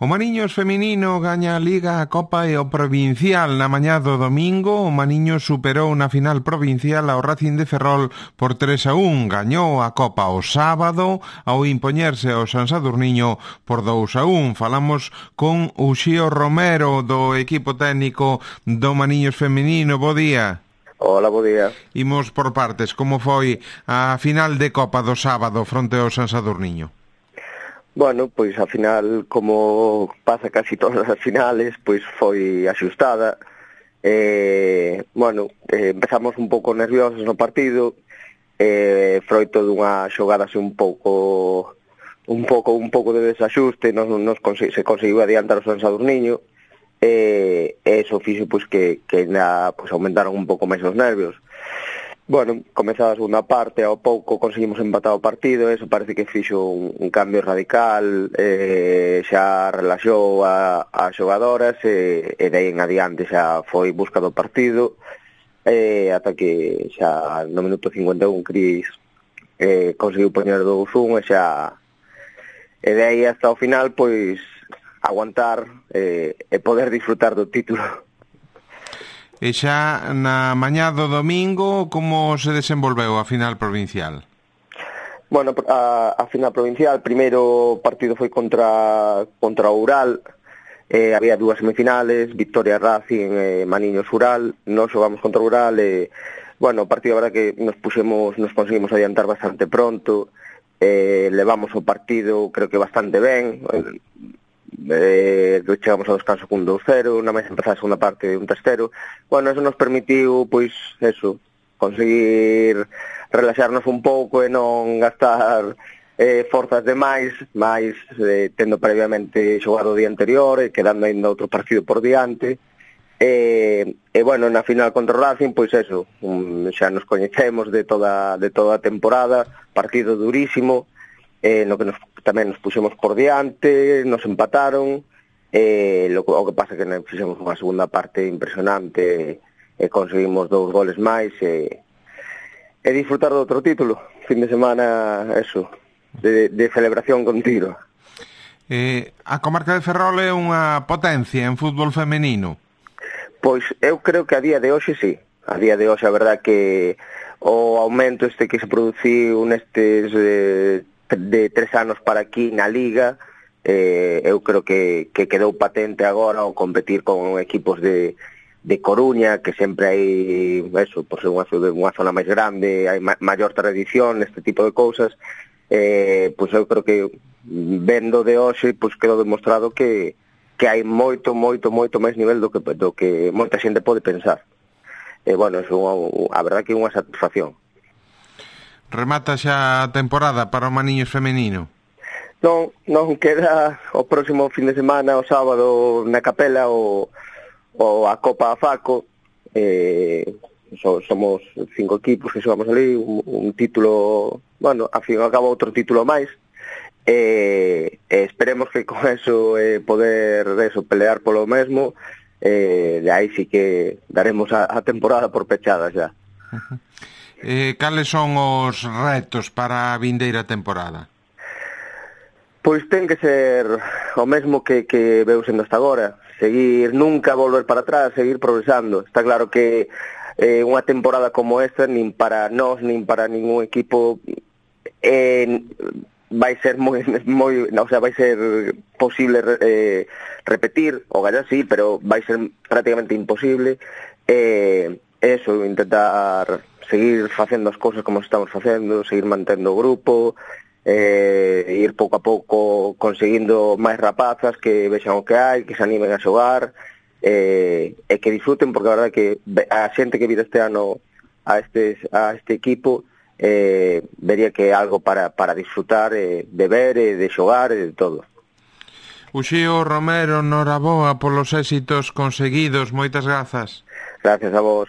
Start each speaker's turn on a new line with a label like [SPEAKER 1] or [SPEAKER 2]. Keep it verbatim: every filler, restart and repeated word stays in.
[SPEAKER 1] O Mariños feminino gaña a Liga, a Copa e o Provincial na mañá do domingo. O Mariños superou na final provincial ao Racing de Ferrol por tres a un. Gañou a Copa o sábado ao impoñerse ao San Sadurniño por dous a un. Falamos con Uxío Romero do equipo técnico do Mariños feminino. Bo día.
[SPEAKER 2] Hola, bo día.
[SPEAKER 1] Imos por partes. Como foi a final de Copa do sábado fronte ao San Sadurniño?
[SPEAKER 2] Bueno, pois a final, como pasa casi todas as finales, pois foi axustada. Eh, bueno, eh, empezamos un pouco nerviosos no partido, eh, froito dunha xogada así un pouco un pouco un pouco de desaxuste, nos, nos consi- se conseguiu adiantar o San Sadurniño, e eh, eso fixo pois que, que na, pois, aumentaron un pouco máis os nervios. Bueno, comezada a segunda parte, ao pouco conseguimos empatar o partido, eso parece que fixo un, un cambio radical, eh, xa relaxou a, a xogadoras, e, e de aí en adiante xa foi busca do partido, eh, ata que xa no minuto cincuenta e un Cris eh, conseguiu poñer dous un, e xa e de aí hasta o final, pois, aguantar eh, e poder disfrutar do título.
[SPEAKER 1] E xa na mañá do domingo, como se desenvolveu a final provincial?
[SPEAKER 2] Bueno, a, a final provincial, primeiro partido foi contra contra o Ural, eh, había dúas semifinales, Victoria Racing e eh, Maniños Ural, nós xogamos contra o Ural e, bueno, o partido, a verdad que nos puxemos, nos conseguimos adiantar bastante pronto, eh, levamos o partido, creo que bastante ben, eh, chegamos ao descanso cun dous cero, na máis empezar a segunda parte un tres cero. Bueno, eso nos permitiu, pois, eso, conseguir relaxarnos un pouco e non gastar eh, forzas demais, máis eh, tendo previamente xogado o día anterior e quedando ainda outro partido por diante. E, e bueno, na final contra o Racing, pois eso, um, xa nos coñecemos de toda, de toda a temporada, partido durísimo, eh, no que nos, tamén nos puxemos por diante, nos empataron, eh, lo, o que pasa que nos fixemos unha segunda parte impresionante, e eh, conseguimos dous goles máis, e, e disfrutar do outro título, fin de semana, eso, de, de celebración continua.
[SPEAKER 1] Eh, a comarca de Ferrol é unha potencia en fútbol femenino?
[SPEAKER 2] Pois eu creo que a día de hoxe sí, a día de hoxe a verdad que o aumento este que se produciu nestes eh, de tres anos para aquí na Liga, eh, eu creo que, que quedou patente agora ao competir con equipos de, de Coruña, que sempre hai, eso, por ser unha, unha zona máis grande, hai ma, maior tradición neste tipo de cousas, eh, pois eu creo que vendo de hoxe, pois quedou demostrado que, que hai moito, moito, moito máis nivel do que, do que moita xente pode pensar. E, eh, bueno, é unha, a verdad que é unha satisfacción.
[SPEAKER 1] Remata xa a temporada para o Mariños femenino?
[SPEAKER 2] Non, non, queda o próximo fin de semana, o sábado, na Capela, o, o a Copa Faco. Eh, so, somos cinco equipos que xogamos ali, un, un título, bueno, a fin acaba outro título máis. E eh, eh, esperemos que con eso eh, poder eso, pelear polo mesmo, eh, de aí sí que daremos a, a temporada por pechada xa.
[SPEAKER 1] Uh-huh. Eh, cales son os retos para a vindeira temporada?
[SPEAKER 2] Pois ten que ser o mesmo que, que veu sendo hasta agora, seguir, nunca volver para atrás, seguir progresando. Está claro que eh, unha temporada como esta, nin para nós, nin para ningún equipo, eh, vai ser moi, moi, o sea, vai ser posible eh, repetir, o gallar sí, pero vai ser prácticamente imposible. Eh, eso, intentar seguir facendo as cousas como estamos facendo, seguir mantendo o grupo, eh, ir pouco a pouco conseguindo máis rapazas que vexan o que hai, que se animen a xogar, eh, e que disfruten, porque a verdade que a xente que vira este ano a este, a este equipo eh, vería que é algo para, para disfrutar, eh, de ver, e de xogar, e de todo.
[SPEAKER 1] Uxío Romero, noraboa polos éxitos conseguidos, moitas grazas.
[SPEAKER 2] Gracias a vos.